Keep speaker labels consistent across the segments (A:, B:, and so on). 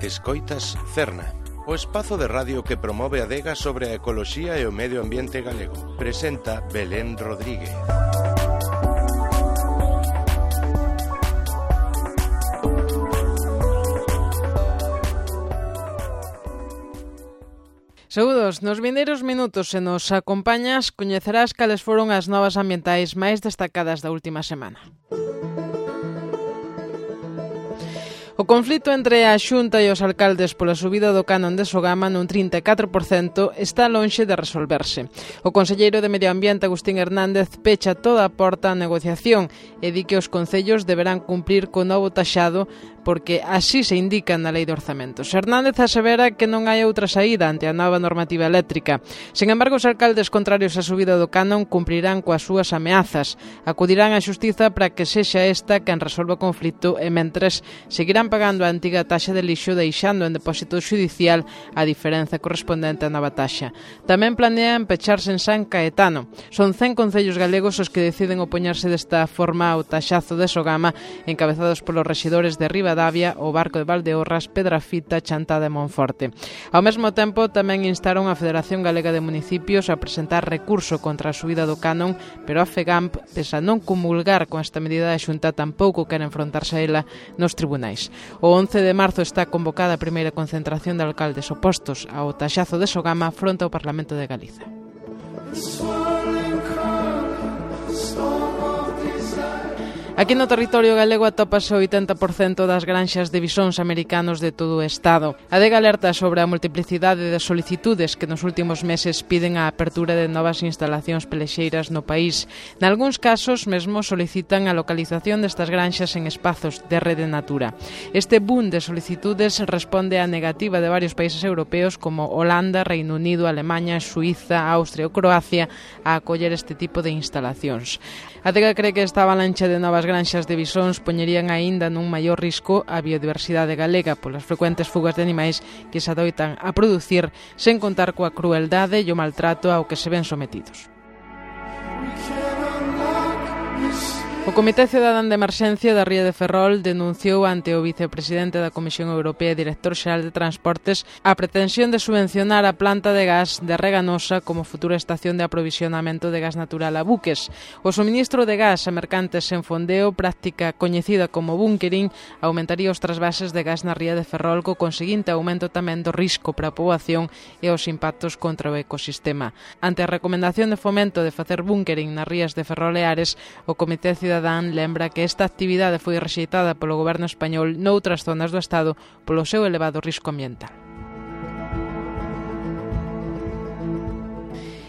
A: Escoitas Cerna, o espazo de radio que promove a adega sobre a ecoloxía e o medio ambiente galego. Presenta Belén Rodríguez.
B: Saúdos, nos vindeiros minutos se nos acompañas coñecerás cales foron as novas ambientais máis destacadas da última semana. O conflito entre a Xunta e os alcaldes pola subida do canon de Sogama nun 34% está lonxe de resolverse. O conselleiro de Medio Ambiente, Agustín Hernández, pecha toda a porta á negociación e di que os concellos deberán cumprir co novo taxado porque así se indica na Lei de Orzamentos. Hernández asevera que non hai outra saída ante a nova normativa eléctrica. Sen embargo, os alcaldes contrarios á subida do canon cumprirán coas súas ameazas. Acudirán á xustiza para que sexa esta quen resolva o conflito e mentres seguirán pagando a antiga taxa de lixo deixando en depósito judicial a diferenza correspondente á nova taxa. Tamén planean pecharse en San Caetano. Son 100 concellos galegos os que deciden opoñerse desta forma ao taxazo de Sogama, encabezados polos rexidores de Ribadavia, o Barco de Valdeorras, Pedrafita, Chantada e Monforte. Ao mesmo tempo, tamén instaron a Federación Galega de Municipios a presentar recurso contra a subida do canon, pero a FEGAMP, pese a non comulgar con esta medida da Xunta, tampouco quere enfrontarse a ela nos tribunais. O 11 de marzo está convocada a primeira concentración de alcaldes opostos ao taxazo de Sogama fronte ao Parlamento de Galiza. Aquí no territorio galego atópase o 80% das granxas de bisóns americanos de todo o estado. A adega alerta sobre a multiplicidade de solicitudes que nos últimos meses piden a apertura de novas instalacións pelexeiras no país. Nalgúns casos, mesmo solicitan a localización destas granxas en espazos de rede natura. Este boom de solicitudes responde á negativa de varios países europeos como Holanda, Reino Unido, Alemaña, Suíza, Austria ou Croacia a acoller este tipo de instalacións. A adega cree que esta avalancha de novas granxas de bisóns poñerían aínda nun maior risco a biodiversidade galega polas frecuentes fugas de animais que se adoitan a producir sen contar coa crueldade e o maltrato ao que se ven sometidos. O Comité Cidadán de Emerxencia da Ría de Ferrol denunciou ante o vicepresidente da Comisión Europea e director xeral de Transportes a pretensión de subvencionar a planta de gas de Reganosa como futura estación de aprovisionamento de gas natural a buques. O suministro de gas a mercantes sen fondeo, práctica coñecida como bunkering, aumentaría os trasvases de gas na Ría de Ferrol co conseguinte aumento tamén do risco para a poboación e os impactos contra o ecosistema. Ante a recomendación de fomento de facer bunkering nas rías de Ferrol e Ares, o Comité Cidadán lembra que esta actividade foi rexeitada polo goberno español noutras zonas do Estado polo seu elevado risco ambiental.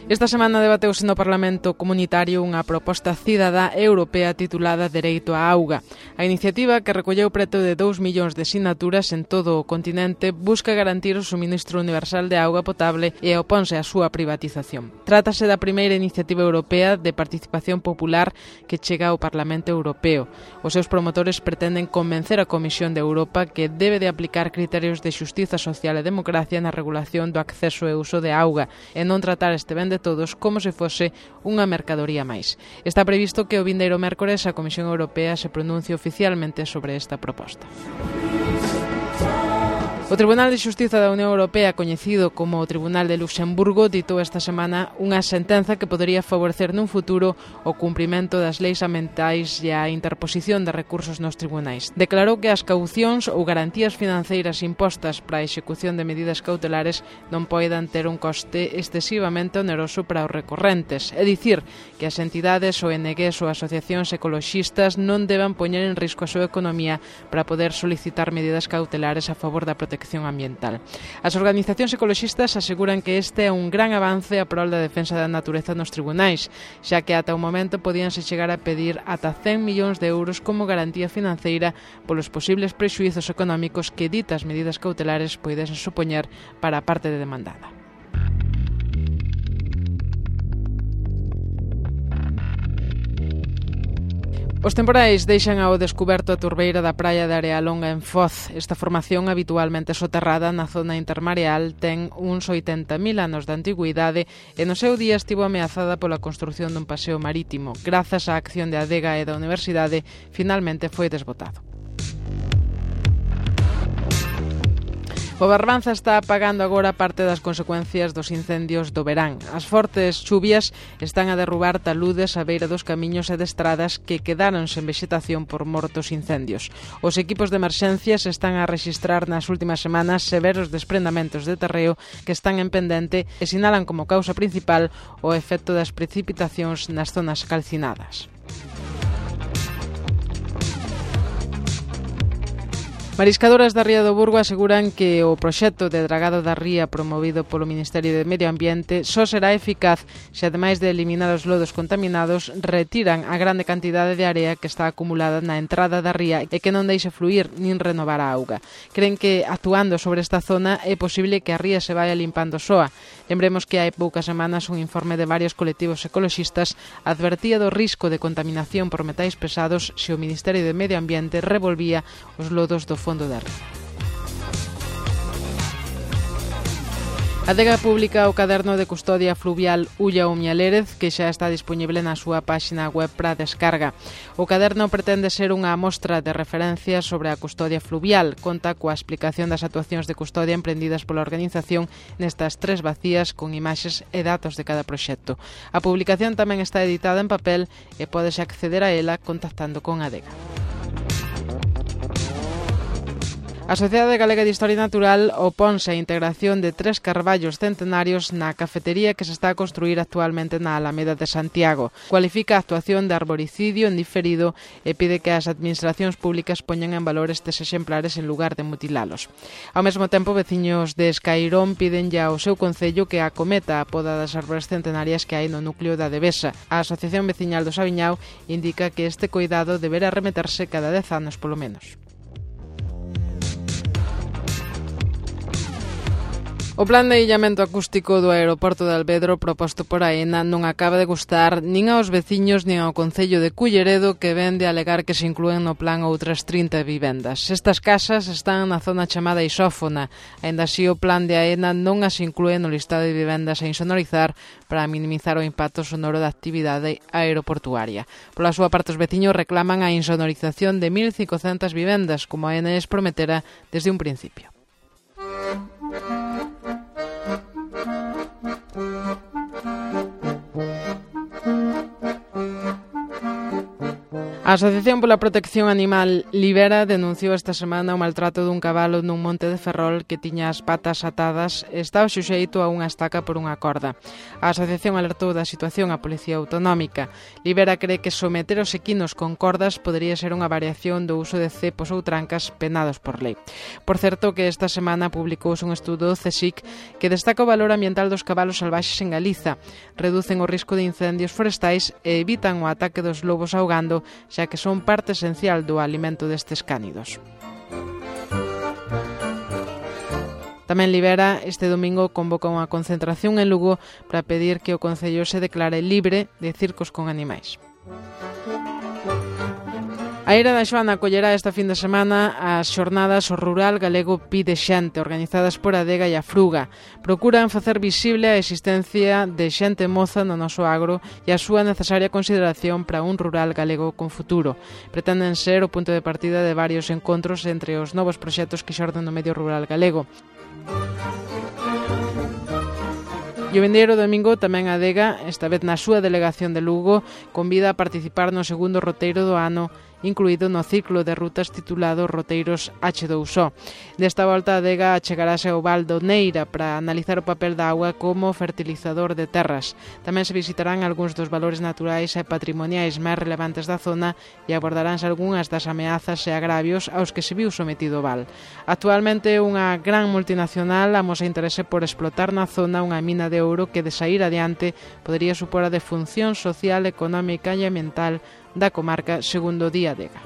B: Esta semana debateuse no Parlamento Comunitario unha proposta cidadá europea titulada Dereito á Auga. A iniciativa, que recolleu preto de 2 millóns de sinaturas en todo o continente, busca garantir o suministro universal de auga potable e oponse á súa privatización. Trátase da primeira iniciativa europea de participación popular que chega ao Parlamento Europeo. Os seus promotores pretenden convencer a Comisión de Europa que debe de aplicar criterios de xustiza social e democracia na regulación do acceso e uso de auga e non tratar este ben de todos como se fose unha mercadoría máis. Está previsto que o vindeiro mércores a Comisión Europea se pronuncie oficialmente sobre esta proposta. O Tribunal de Xustiza da Unión Europea, coñecido como o Tribunal de Luxemburgo, ditou esta semana unha sentenza que podería favorecer nun futuro o cumprimento das leis ambientais e a interposición de recursos nos tribunais. Declarou que as caucións ou garantías financeiras impostas para a execución de medidas cautelares non poidan ter un coste excesivamente oneroso para os recorrentes, é dicir, que as entidades, ONGs ou asociacións ecoloxistas non deban poñer en risco a súa economía para poder solicitar medidas cautelares a favor da protección ambiental. As organizacións ecoloxistas aseguran que este é un gran avance a prol da defensa da natureza nos tribunais, xa que ata o momento podíanse chegar a pedir ata 100 millóns de euros como garantía financeira polos posibles prexuízos económicos que ditas medidas cautelares poidesen supoñer para a parte de demandada. Os temporais deixan ao descuberto a turbeira da praia de Arealonga en Foz. Esta formación, habitualmente soterrada na zona intermareal, ten uns 80.000 anos de antigüidade e no seu día estivo ameazada pola construción dun paseo marítimo. Grazas á acción de Adega e da Universidade, finalmente foi desbotado. O Barbanza está pagando agora parte das consecuencias dos incendios do verán. As fortes chuvias están a derrubar taludes á beira dos camiños e de estradas que quedaron sen vexetación por mortos incendios. Os equipos de emerxencias están a rexistrar nas últimas semanas severos desprendamentos de terreo que están en pendente e sinalan como causa principal o efecto das precipitacións nas zonas calcinadas. Mariscadoras da Ría do Burgo aseguran que o proxecto de dragado da ría promovido polo Ministerio de Medio Ambiente só será eficaz se, ademais de eliminar os lodos contaminados, retiran a grande cantidade de area que está acumulada na entrada da ría e que non deixe fluir nin renovar a auga. Creen que, actuando sobre esta zona, é posible que a ría se vaya limpando soa. Lembremos que hai poucas semanas un informe de varios colectivos ecoloxistas advertía do risco de contaminación por metais pesados se o Ministerio de Medio Ambiente revolvía os lodos do fondo da ría. A Adega publica o caderno de custodia fluvial Ulla Umialérez, que xa está disponible na súa páxina web para descarga. O caderno pretende ser unha mostra de referencia sobre a custodia fluvial. Conta coa explicación das actuacións de custodia emprendidas pola organización nestas 3 bacías con imaxes e datos de cada proxecto. A publicación tamén está editada en papel e pódese acceder a ela contactando con a Adega. A Sociedade Galega de Historia Natural oponse a integración de 3 carballos centenarios na cafetería que se está a construir actualmente na Alameda de Santiago. Cualifica a actuación de arboricidio en diferido e pide que as administracións públicas poñan en valor estes exemplares en lugar de mutilalos. Ao mesmo tempo, veciños de Escairón piden ya ao seu concello que acometa a poda das árbores centenarias que hai no núcleo da Devesa. A Asociación Veciñal do Sabiñao indica que este cuidado deberá remeterse cada 10 anos polo menos. O plan de illamento acústico do aeroporto de Alvedro proposto por AENA non acaba de gustar nin aos veciños nin ao concello de Culleredo, que ven de alegar que se inclúen no plan outras 30 vivendas. Estas casas están na zona chamada Isófona. Aínda así, o plan de AENA non as inclúe no listado de vivendas a insonorizar para minimizar o impacto sonoro da actividade aeroportuaria. Pola súa parte, os veciños reclaman a insonorización de 1.500 vivendas, como AENA les prometera desde un principio. A Asociación pola Protección Animal Libera denunciou esta semana o maltrato dun cabalo nun monte de Ferrol que tiña as patas atadas e estaba suxeito a unha estaca por unha corda. A asociación alertou da situación á Policía Autonómica. Libera cree que someter os equinos con cordas podería ser unha variación do uso de cepos ou trancas penados por lei. Por certo, que esta semana publicouse un estudo do CSIC que destaca o valor ambiental dos cabalos salvaxes en Galiza. Reducen o risco de incendios forestais e evitan o ataque dos lobos ahogando, xa que son parte esencial do alimento destes cánidos. Tamén Libera este domingo convoca unha concentración en Lugo para pedir que o concello se declare libre de circos con animais. A Eira da Xoana acollerá esta fin de semana as xornadas O Rural Galego Pide Xente, organizadas por Adega e a Fruga. Procuran facer visible a existencia de xente moza no noso agro e a súa necesaria consideración para un rural galego con futuro. Pretenden ser o punto de partida de varios encontros entre os novos proxectos que xorden no medio rural galego. E o vindeiro domingo tamén a Adega, esta vez na súa delegación de Lugo, convida a participar no segundo roteiro do ano, incluído no ciclo de rutas titulado Roteiros H2O. Desta volta, a Adega achegarase ao Val do Neira para analizar o papel da auga como fertilizador de terras. Tamén se visitarán algúns dos valores naturais e patrimoniais máis relevantes da zona e abordaránse algunhas das ameazas e agravios aos que se viu sometido o Val. Actualmente, unha gran multinacional amosa interese por explotar na zona unha mina de ouro que, de sair adiante, podería supor a defunción social, económica e ambiental da comarca, segundo Día Adega.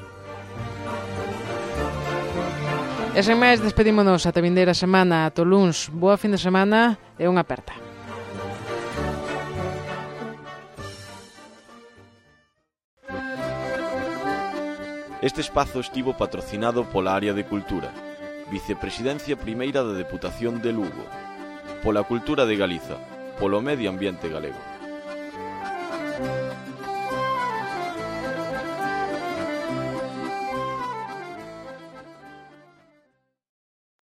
B: E sen máis, despedímonos ata vindeira semana, ata o luns. Boa fin de semana e unha aperta.
C: Este espazo estivo patrocinado pola Área de Cultura, Vicepresidencia Primeira da Deputación de Lugo, pola Cultura de Galiza, polo Medio Ambiente Galego.